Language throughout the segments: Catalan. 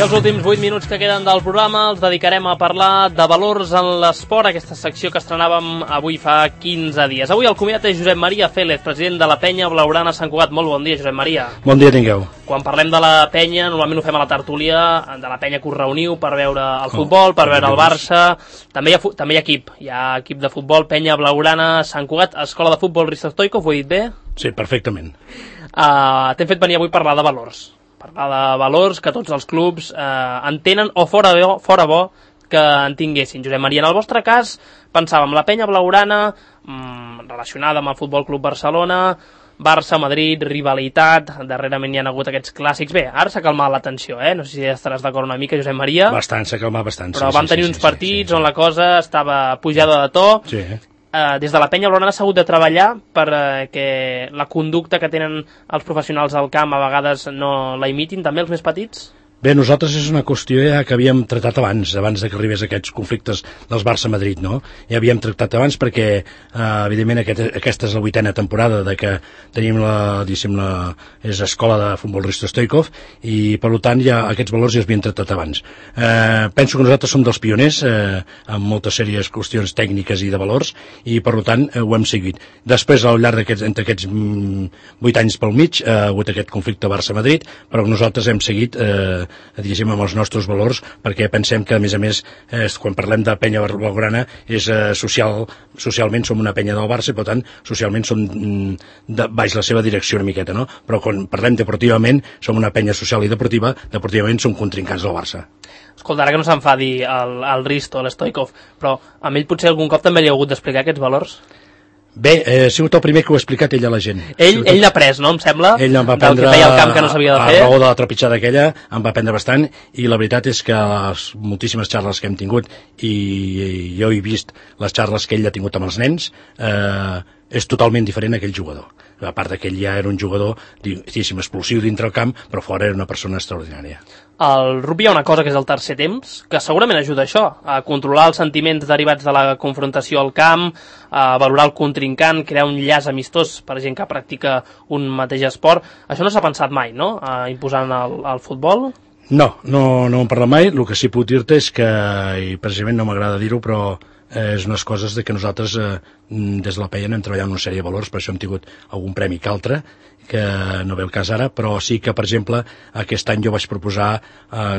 els últims 8 minuts que queden del programa els dedicarem a parlar de valors en l'esport, aquesta secció que estrenàvem avui fa 15 dies. Avui el convidat és Josep Maria Félez, president de la penya Blaugrana Sant Cugat. Molt bon dia, Josep Maria. Bon dia tingueu. Quan parlem de la penya, normalment ho fem a la tertúlia, de la penya que us reuniu per veure el futbol, per veure el Barça. També hi ha equip. Hi ha equip de futbol, penya Blaugrana Sant Cugat, escola de futbol Risto Stoikov, ho he dit bé? Sí, perfectament. T'hem fet venir avui a parlar de valors. Parlar de valors que tots els clubs en tenen o fora bo que en tinguessin. Josep Maria, en el vostre cas pensàvem la penya Blaugrana relacionada amb el Futbol Club Barcelona, Barça, Madrid, rivalitat, darrerament hi ha hagut aquests clàssics. Bé, ara s'ha calmat la tensió, no sé si estaràs d'acord una mica, Josep Maria. Bastant, s'ha calmat bastant. Però vam tenir uns partits on la cosa estava pujada de to. Sí. Des de la penya Blaugrana s'ha hagut de treballar perquè la conducta que tenen els professionals al camp a vegades no la imitin també els més petits? Bé, nosaltres és una qüestió ja que havíem tractat abans de que arribés aquests conflictes dels Barça-Madrid, no? Ja havíem tractat abans perquè, evidentment, aquesta és la 8a temporada de que tenim és escola de futbol Risto Stoikov i, per tant, ja aquests valors ja es havien tractat abans. Penso que nosaltres som dels pioners en moltes sèries qüestions tècniques i de valors i, per tant, ho hem seguit. Després, al llarg entre aquests 8 anys pel mig, ha hagut aquest conflicte Barça-Madrid, però nosaltres hem seguit diguéssim, amb els nostres valors, perquè pensem que, a més, quan parlem de penya blaugrana, socialment som una penya del Barça, i, per tant, socialment som baix la seva direcció una miqueta, no? Però quan parlem deportivament, som una penya social i deportivament som contrincants del Barça. Escolta, ara que no s'enfadi el Risto, l'Stoikov, però a ell potser algun cop també li ha hagut d'explicar aquests valors? Bé, ha sigut el primer que ho ha explicat ell a la gent. Ell n'ha pres, no? Em sembla, ell em va del que feia el camp que no s'havia de fer. A raó de la trepitjada aquella, em va aprendre bastant, i la veritat és que les moltíssimes xarres que hem tingut, i jo he vist les xarres que ell ha tingut amb els nens, és totalment diferent a aquell jugador. A part que ell ja era un jugador, diguéssim, explosiu dintre el camp, però fora era una persona extraordinària. Al rugby hi ha una cosa que és el tercer temps, que segurament ajuda a això, a controlar els sentiments derivats de la confrontació al camp, a valorar el contrincant, crear un llaç amistós per gent que practica un mateix esport. Això no s'ha pensat mai, no?, imposant el futbol? No en parla mai. El que sí puc dir-te és que, i precisament no m'agrada dir-ho, però és unes coses que nosaltres des de la penya hem treballat una sèrie de valors, per això hem tingut algun premi que altre, que no ve el cas ara, però sí que, per exemple, aquest any jo vaig proposar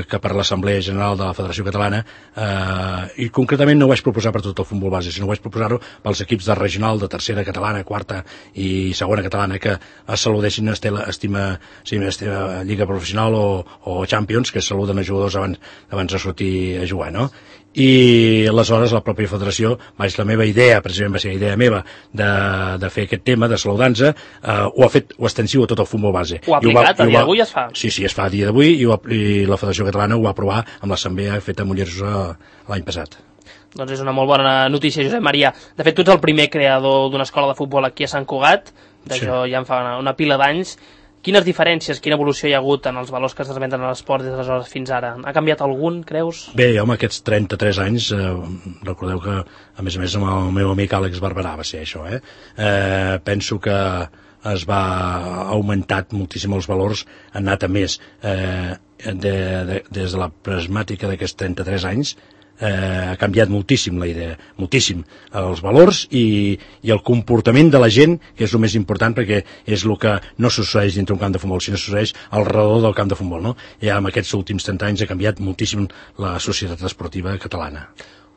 que per l'Assemblea General de la Federació Catalana, i concretament no ho vaig proposar per tot el futbol base, sinó ho vaig proposar-ho pels equips de regional, de tercera catalana, quarta i segona catalana, que es saludessin Lliga Professional o Champions, que saluden a jugadors abans de sortir a jugar, no? I aleshores la pròpia federació, la meva idea, precisament va ser idea meva, de fer aquest tema, de saludar-nos, ho ha fet extensiu a tot el futbol base. Ho ha aplicat, a dia d'avui es fa? Sí, es fa a dia d'avui, i la Federació Catalana ho va aprovar amb l'assemblea feta a Mollerussa l'any passat. Doncs és una molt bona notícia, Josep Maria. De fet, tu ets el primer creador d'una escola de futbol aquí a Sant Cugat, d'això ja en fa una pila d'anys. Quines diferències, quina evolució hi ha hagut en els valors que es transmeten a l'esport des d'aleshores fins ara? Ha canviat algun, creus? Bé, home, aquests 33 anys, recordeu que, a més amb el meu amic Àlex Barberà va ser això, penso que es va augmentar moltíssim els valors, han anat a més des de la prismàtica d'aquests 33 anys. Ha canviat moltíssim la idea, moltíssim els valors i el comportament de la gent, que és el més important, perquè és el que no succeeix dintre un camp de futbol, sinó succeeix al redor del camp de futbol, no? Ja en aquests últims 30 anys ha canviat moltíssim la societat esportiva catalana.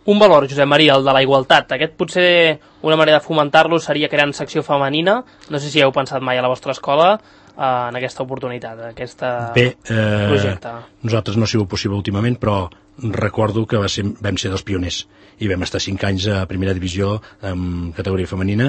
Un valor, Josep Maria, el de la igualtat. Aquest potser una manera de fomentar-lo seria creant secció femenina. No sé si heu pensat mai a la vostra escola en aquesta oportunitat, en aquest projecte. Nosaltres no ha sigut possible últimament, però recordo que vam ser dels pioners i vam estar 5 anys a primera divisió en categoria femenina.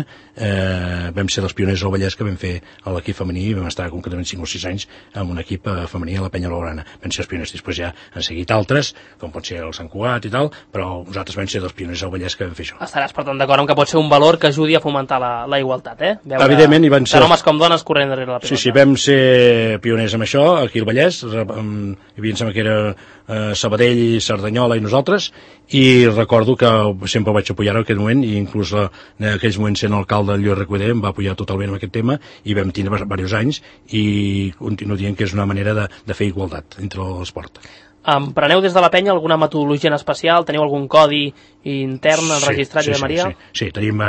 Vam ser dels pioners al Vallès que vam fer a l'equip femení i vam estar concretament 5 o 6 anys amb un equip femení a la penya Blaugrana. Vam ser els pioners, després ja han seguit altres, com pot ser el Sant Cugat i tal, però nosaltres vam ser dels pioners al Vallès que vam fer això. Estaràs, per tant, d'acord amb que pot ser un valor que ajudi a fomentar la igualtat, Veure evidentment, i van ser... tant homes com dones corrent darrere la pilota. Sí, vam ser pioners amb això, aquí al Vallès, hi havia, em sembla que era Sabadell, Cerdanyola i nosaltres, i recordo que sempre vaig apoyar en aquest moment, i inclús en aquells moments sent alcalde Lluís Recoder em va apoyar totalment en aquest tema, i vam tenir diversos anys, i continuo dient que és una manera de fer igualtat entre l'esport. Empreneu des de la penya alguna metodologia en especial? Teniu algun codi intern registrat, Josep Maria? Sí, tenim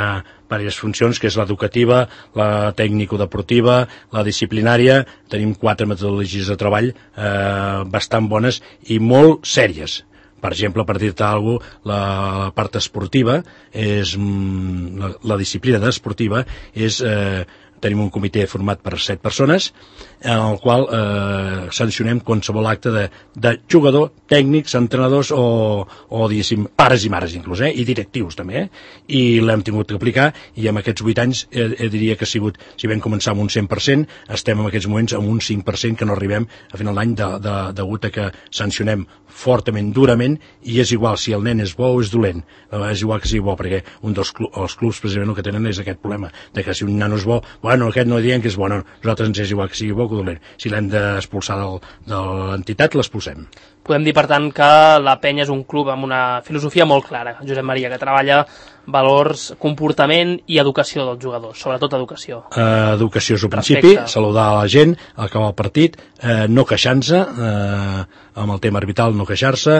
diverses funcions, que és l'educativa, la tècnico-deportiva, la disciplinària. Tenim 4 metodologies de treball bastant bones i molt sèries. Per exemple, per dir-te alguna cosa, la part esportiva, la disciplina esportiva és... tenim un comitè format per 7 persones en el qual sancionem qualsevol acte de jugador, tècnics, entrenadors o diguéssim, pares i mares inclús, i directius també, i l'hem tingut que aplicar, i en aquests 8 anys diria que ha sigut, si vam començar amb un 100%, estem en aquests moments amb un 5% que no arribem a final d'any degut a que sancionem fortament, durament, i és igual si el nen és bo o és dolent, és igual que sigui bo, perquè els clubs precisament el que tenen és aquest problema, de que si un nano és bo, bueno, aquest no diem que és bo, no, nosaltres ens és igual que sigui bo o dolent, si l'hem d'expulsar de l'entitat, l'expulsem. Podem dir, per tant, que la penya és un club amb una filosofia molt clara, Josep Maria, que treballa valors, comportament i educació dels jugadors, sobretot educació. Educació és el principi, saludar a la gent, acabar el partit, no queixar-se, amb el tema arbitral no queixar-se,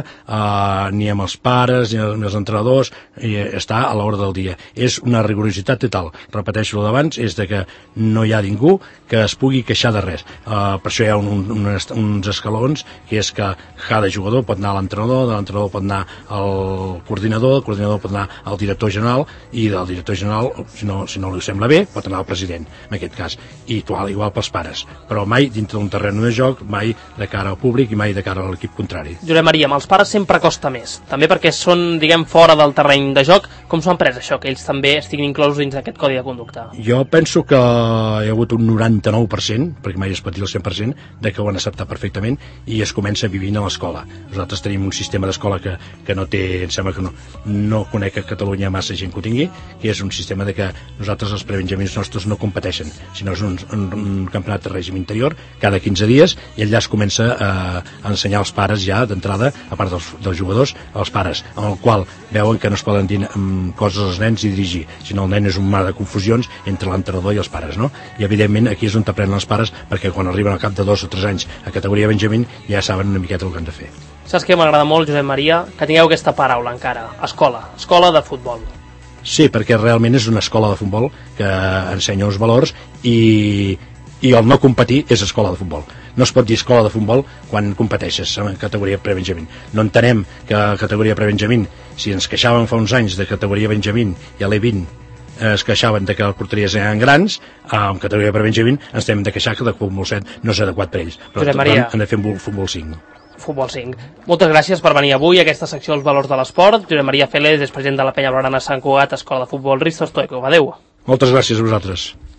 ni amb els pares, ni amb els entrenadors, i estar a l'hora del dia. És una rigorositat total. Repeteixo el d'abans, és de que no hi ha ningú que es pugui queixar de res. Per això hi ha uns escalons, que és que cada jugador pot anar a l'entrenador, de l'entrenador pot anar al coordinador, el coordinador pot anar al director general, i del director general, si no li sembla bé, pot anar al president, en aquest cas, i igual pels pares, però mai dintre d'un terreny de joc, mai de cara al públic i mai de cara a l'equip contrari. Josep Maria, amb els pares sempre costa més, també perquè són, diguem, fora del terreny de joc. Com s'ho han pres això, que ells també estiguin inclosos dins d'aquest codi de conducta? Jo penso que hi ha hagut un 99%, perquè mai es pot dir el 100%, de que ho han acceptat perfectament i es comença vivint a l'escola. Nosaltres tenim un sistema d'escola que no té, em sembla que no conec a Catalunya massa gent que ho tingui, que és un sistema de que nosaltres els prebenjamins nostres no competeixen, sinó és un campionat de règim interior cada 15 dies, i allà es comença a ensenyar als pares ja d'entrada, a part dels jugadors, als pares, en el qual veuen que no es poden dir coses als nens i dirigir, sinó el nen és un mar de confusions entre l'entrenador i els pares, no? I evidentment aquí és on t'aprenen els pares, perquè quan arriben al cap de 2 o 3 anys a categoria Benjamín ja saben una miqueta el que han de fer. Saps què m'agrada molt, Josep Maria? Que tingueu aquesta paraula encara, escola de futbol. Sí, perquè realment és una escola de futbol que ensenya uns valors i el no competir és escola de futbol. No es pot dir escola de futbol quan competeixes en categoria pre-Benjamín. No entenem que a categoria pre-Benjamín, si ens queixàvem fa uns anys de categoria Benjamín i a l'E20 es queixaven de que les porteries eren grans, en categoria pre-Benjamín ens hem de queixar que el futbol 7 no és adequat per ells. Però han de fer un futbol 5. Futbol 5. Moltes gràcies per venir avui a aquesta secció dels valors de l'esport. Josep Maria Félez és president de la penya blaugrana Sant Cugat, Escola de Futbol Risto Stoico. Adéu. Moltes gràcies a vosaltres.